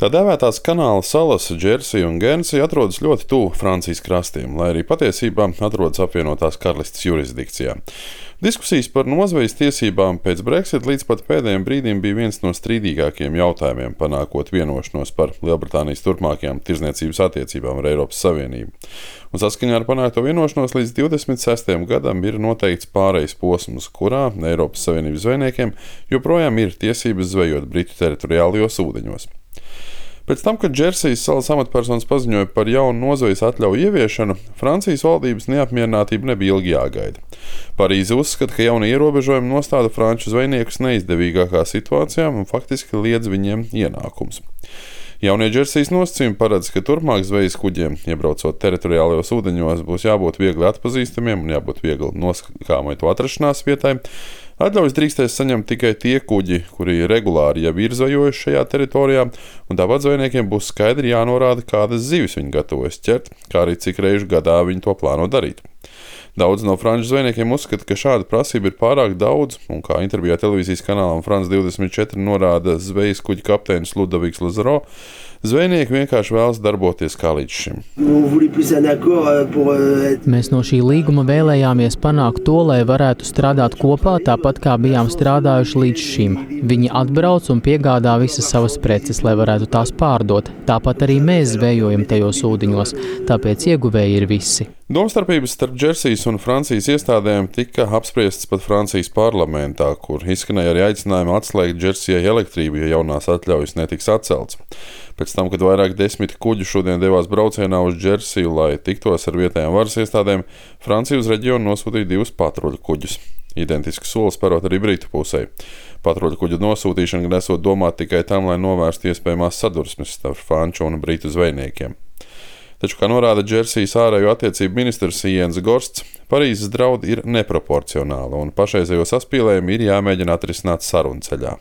Tā dēvētās kanāla salas Džersija un Guernsey atrodas ļoti tuvu Francijas krastiem, lai arī patiesībā atrodas apvienotās karalistes jurisdikcijā. Diskusijas par nozvejas tiesībām pēc Brexit līdz pat pēdējiem brīdim bija viens no strīdīgākajiem jautājumiem, panākot vienošanos par Lielbritānijas turpmākajām tirdzniecības attiecībām ar Eiropas Savienību. Un saskaņā ar panākto vienošanos līdz 26. gadam ir noteikts pārejas posms, kurā Eiropas Savienības zvejniekiem joprojām ir tiesības zvejot Britu teritoriālajos ūdeņos. Pēc tam, kad Džersijas salas amatpersonas paziņoja par jaunu nozvejas atļauju ieviešanu, Francijas valdības neapmierinātība nebija ilgi jāgaida. Parīze uzskata, ka jaunie ierobežojumi nostāda franču zvejniekus neizdevīgākā situācijā un faktiski liedz viņiem ienākumus. Jaunie Džersijas nosacījumi paredz, ka turpmāk zvejas kuģiem, iebraucot teritoriālajos ūdeņos, būs jābūt viegli atpazīstamiem un jābūt viegli noskāmai to atrašanās vietai. Atļaujas drīkstēs saņemt tikai tie kuģi, kuri regulāri jau ir zvejojuši šajā teritorijā, un tāpat zvejniekiem būs skaidri jānorāda, kādas zivis viņi gatavojas ķert, kā arī cik reižu gadā viņi to plāno darīt. Daudz no franču zvejniekiem uzskata, ka šāda prasība ir pārāk daudz, un kā intervijā televīzijas kanālam France 24 norāda zvejas kuģa kapteinis Ludoviks Lazaro, zvejnieki vienkārši vēlas darboties kā līdz šim. Mēs no šī līguma vēlējāmies panākt to, lai varētu strādāt kopā tāpat, kā bijām strādājuši līdz šim. Viņi atbrauc un piegādā visas savas preces, lai varētu tās pārdot. Tāpat arī mēs zvejojam tajos ūdeņos, tāpēc ieguvēji ir visi. Domstarpības starp Džersijas un Francijas iestādēm tika apspriestas pat Francijas parlamentā, kur izskanēja arī aicinājumi atslēgt Džersijai elektrību, ja jaunās atļaujas netiks atcelts. Pēc tam, kad vairāk desmit kuģu šodien devās braucienā uz Džersiju, lai tiktos ar vietējām varas iestādēm, Francija uz reģionu nosūtīja 2 patruļu kuģus. Identisku soli spērot arī Britu pusē. Patruļu kuģu nosūtīšana gan esot domāta tikai tam, lai novērstu iespējamās sadursmes starp franču un britu zvejniekiem. Taču, kā norāda Džersijas ārējo attiecību ministrs Iens Gorsts, Parīzes draudi ir neproporcionāli un pašreizējo saspīlējumu ir jāmēģina atrisināt sarunu ceļā.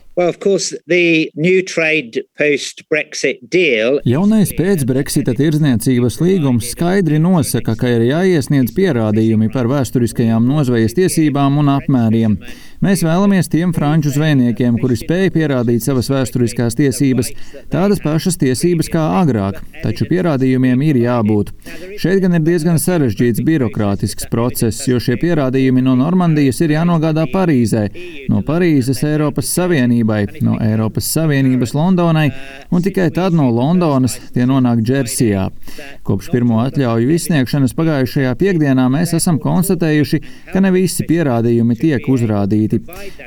Jaunais pēc-Brexita tirdzniecības līgums skaidri nosaka, ka ir jāiesniedz pierādījumi par vēsturiskajām nozvejas tiesībām un apmēriem. Mēs vēlamies tiem franču zvejniekiem, kuri spēj pierādīt savas vēsturiskās tiesības, tādas pašas tiesības kā agrāk, taču pierādījumiem ir jābūt. Šeit gan ir diezgan sarežģīts birokrātisks process, jo šie pierādījumi no Normandijas ir jānogādā Parīzē, no Parīzes Eiropas Savienībai, no Eiropas Savienības Londonai, un tikai tad no Londonas tie nonāk Džersijā. Kopš pirmo atļauju izsniegšanas pagājušajā piekdienā mēs esam konstatējuši, ka ne visi pierādījumi tiek uzrādīti.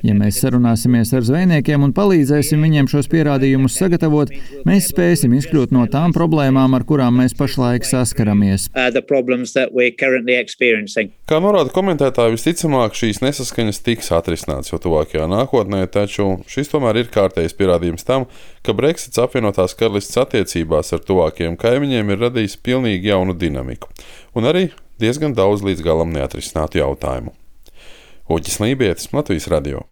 Ja mēs sarunāsimies ar zvejniekiem un palīdzēsim viņiem šos pierādījumus sagatavot, mēs spēsim izkļūt no tām problēmām, ar kurām mēs pašlaik saskaramies. Kā norāda komentētāji, visticamāk šīs nesaskaņas tiks atrisināts jau tuvākajā nākotnē, taču šis tomēr ir kārtējs pierādījums tam, ka Brexits apvienotās karalistes attiecībās ar tuvākajiem kaimiņiem ir radījis pilnīgi jaunu dinamiku un arī diezgan daudz līdz galam neatrisinātu jautājumu. Uģis Lībietis, Latvijas radio.